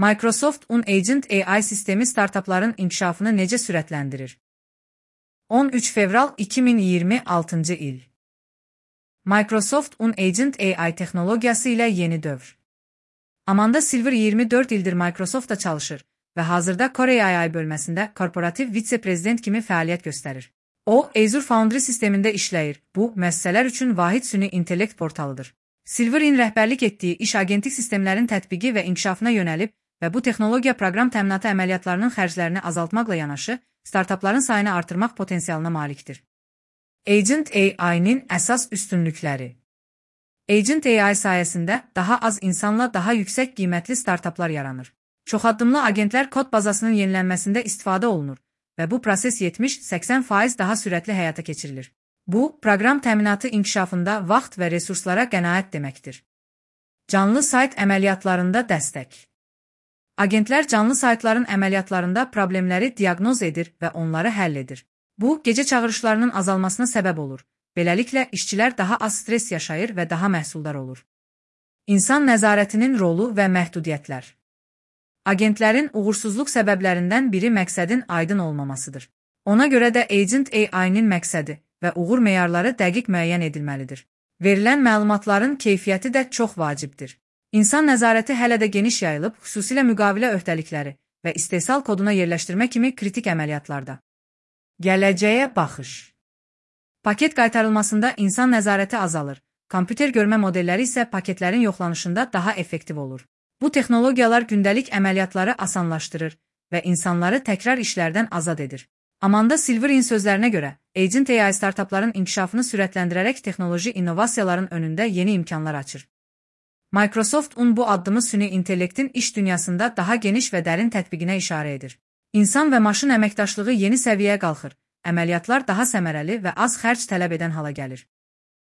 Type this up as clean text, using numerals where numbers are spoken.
Microsoft Agent AI sistemi startapların inkişafını necə sürətləndirir? 13 fevral 2026 il. Microsoft Agent AI texnologiyası ilə yeni dövr. Amanda Silver 24 ildir Microsoftda çalışır və hazırda Kore AI bölməsində korporativ vitse-prezident kimi fəaliyyət göstərir. O, Azure Foundry sistemində işləyir. Bu, müəssisələr üçün vahid süni intellekt portalıdır. Silver'in rəhbərlik etdiyi iş agentik sistemlərin tətbiqi və inkişafına yönəlib və bu texnologiya proqram təminatı əməliyyatlarının xərclərini azaltmaqla yanaşı, startapların sayını artırmaq potensialına malikdir. Agent AI-nin əsas üstünlükləri. Agent AI sayəsində daha az insanla daha yüksək qiymətli startaplar yaranır. Çoxaddımlı agentlər kod bazasının yenilənməsində istifadə olunur və bu proses 70-80% daha sürətli həyata keçirilir. Bu, proqram təminatı inkişafında vaxt və resurslara qənaət deməkdir. Canlı sayt əməliyyatlarında dəstək. Agentlər canlı saytların əməliyyatlarında problemləri diaqnoz edir və onları həll edir. Bu, gecə çağırışlarının azalmasına səbəb olur. Beləliklə, işçilər daha az stres yaşayır və daha məhsuldar olur. İnsan nəzarətinin rolu və məhdudiyyətlər. Agentlərin uğursuzluq səbəblərindən biri məqsədin aydın olmamasıdır. Ona görə də Agent AI-nin məqsədi və uğur meyarları dəqiq müəyyən edilməlidir. Verilən məlumatların keyfiyyəti də çox vacibdir. İnsan nəzarəti hələ də geniş yayılıb, xüsusilə müqavilə öhdəlikləri və istehsal koduna yerləşdirmə kimi kritik əməliyyatlarda. Gələcəyə baxış. Paket qaytarılmasında insan nəzarəti azalır, kompüter görmə modelləri isə paketlərin yoxlanışında daha effektiv olur. Bu texnologiyalar gündəlik əməliyyatları asanlaşdırır və insanları təkrar işlərdən azad edir. Amanda Silver'in sözlərinə görə, Agent AI startapların inkişafını sürətləndirərək texnoloji innovasiyaların önündə yeni imkanlar açır. Microsoft bu addımı süni intellektin iş dünyasında daha geniş və dərin tətbiqinə işarə edir. İnsan və maşın əməkdaşlığı yeni səviyyəyə qalxır, əməliyyatlar daha səmərəli və az xərc tələb edən hala gəlir.